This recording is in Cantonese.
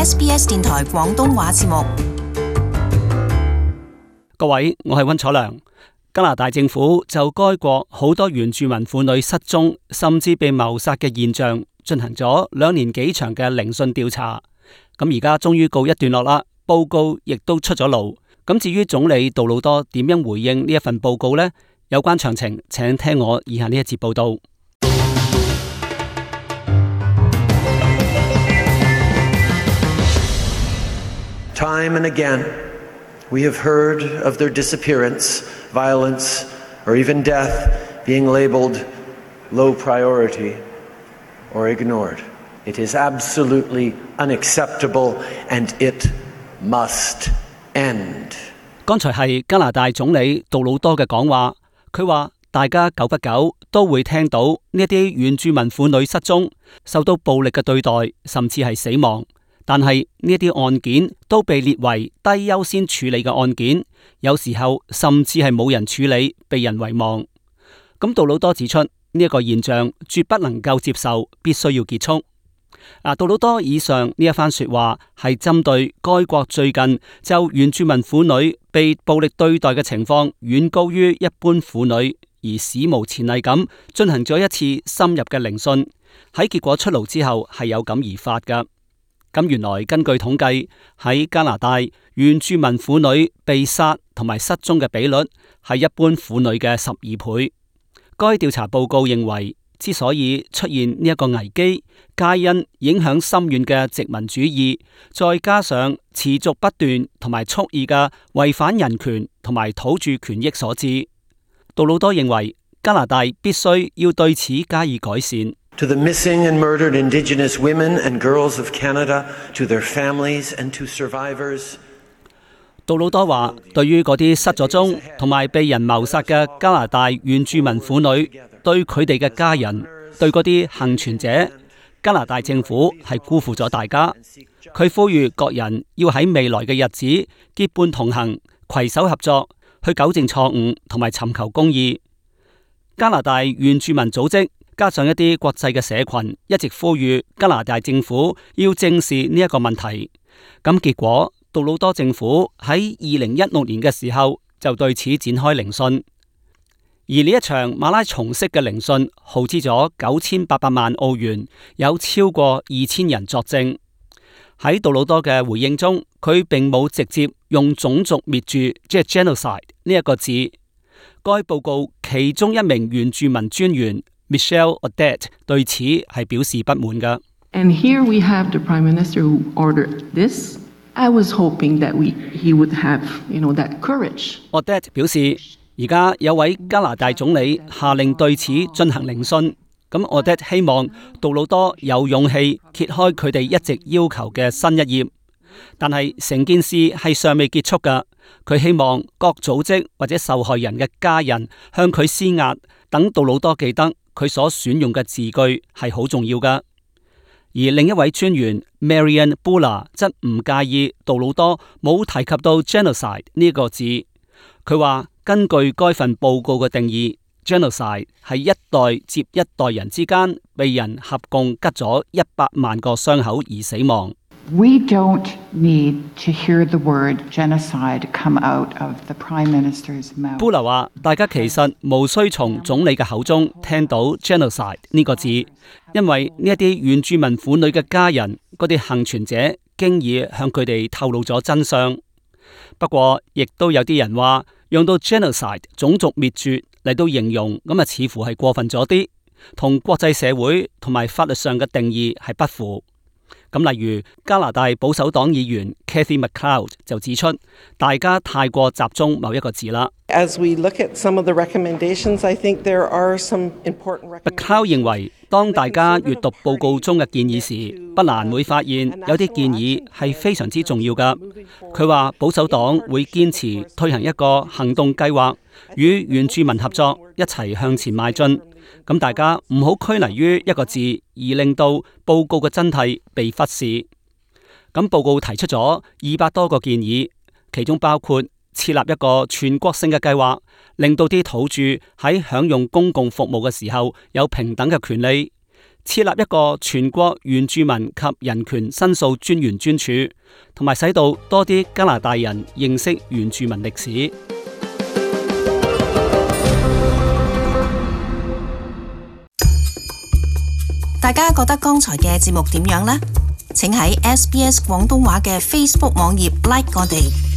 SBS 電台廣東話節目。各位，我係溫楚良。加拿大政府就該國好多原住民婦女失蹤甚至被謀殺嘅現象進行咗2年幾長嘅聆訊調查。咁而家終於告一段落啦，報告亦都出咗爐。咁至於總理杜魯多點樣回應呢一份報告呢？有關詳情，請聽我以下呢一節報道。Time and again, we have heard of their disappearance, violence, or even death being labeled low priority or ignored. It is absolutely unacceptable and it must end. 剛才係加拿大總理杜魯多嘅講話，佢話大家久不久都會聽到呢啲原住民婦女失蹤、受到暴力嘅對待，甚至係死亡。但係呢啲案件都被列為低優先處理嘅案件，有時候甚至係冇人處理，被人遺忘。咁杜魯多指出呢一個現象絕不能夠接受，必須要結束。杜魯多以上呢一番說話係針對該國最近就原住民婦女被暴力對待嘅情況遠高於一般婦女，而史無前例咁進行咗一次深入嘅聆訊。喺結果出爐之後係有感而發噶。咁原來根據統計，喺加拿大原住民婦女被殺同埋失蹤嘅比率係一般婦女嘅12倍。該調查報告認為，之所以出現呢一個危機，皆因影響深遠嘅殖民主義，再加上持續不斷同埋蓄意嘅違反人權同埋土著權益所致。杜魯多認為，加拿大必須要對此加以改善。To the missing and murdered Indigenous women and girls of Canada, to their families and to survivors. 杜魯多話，對於嗰啲失咗蹤同埋被人謀殺嘅加拿大原住民婦女，對佢哋嘅家人，對嗰啲幸存者，加拿大政府係辜負咗大家。佢呼籲各人要喺未來嘅日子結伴同行，攜手合作，去糾正錯誤同埋尋求公義。加拿大原住民組織加上一啲國際嘅社群一直呼籲加拿大政府要正視呢一個問題。咁結果，杜魯多政府喺2016年嘅時候就對此展開聆訊，而呢一場馬拉松式嘅聆訊耗資咗9800萬澳元，有超過2000人作證。喺杜魯多嘅回應中，佢並冇直接用種族滅絕即係 genocide 呢一個字。該報告其中一名原住民專員Michelle Audette 對此係表示不滿㗎。And here we have the Prime Minister who ordered this. I was hoping that he would have, that courage. Audette 表示，而家有位加拿大總理下令對此進行聆訊。咁 Audette 希望杜魯多有勇氣揭開佢哋一直要求嘅新一頁。但係成件事係尚未結束㗎。佢希望各組織或者受害人嘅家人向佢施壓，等杜魯多記得佢所選用嘅字句係好重要㗎。而另一位專員 Marian Bula 則唔介意杜魯多冇提及到 genocide 呢個字。佢話根據該份報告嘅定義， genocide 係一代接一代人之間被人合共吉咗100萬個傷口而死亡。We don't need to hear the word genocide come out of the Prime Minister's mouth. 布勒話：大家其實無需從總理嘅口中聽到 genocide 呢個字，因為呢一啲原住民婦女嘅家人，嗰啲幸存者，經已向佢哋透露咗真相。不過，亦都有啲人話，用到 genocide 種族滅絕嚟到形容，咁啊似乎係過分咗啲，同國際社會同埋法律上嘅定義係不符。咁例如加拿大保守黨議員 Cathy McLeod 就指出，大家太過集中某一個字啦。As we look at some of the recommendations, I think there are some important recommendations. McLeod 認為，當大家閱讀報告中嘅建議時，不難會發現有啲建議係非常之重要㗎。佢話保守黨會堅持推行一個行動計劃，與原住民合作，一齊向前邁進。咁大家唔好拘泥於一個字，而令到報告嘅真諦被忽視。咁報告提出咗200多個建議，其中包括設立一個全國性嘅計劃，令到啲土著喺享用公共服務嘅時候有平等嘅權利，設立一個全國原住民及人權申訴專員專署，同埋使到多啲加拿大人認識原住民歷史。大家覺得剛才嘅節目點樣呢？請喺SBS 廣東話嘅 Facebook 網頁 like 我哋。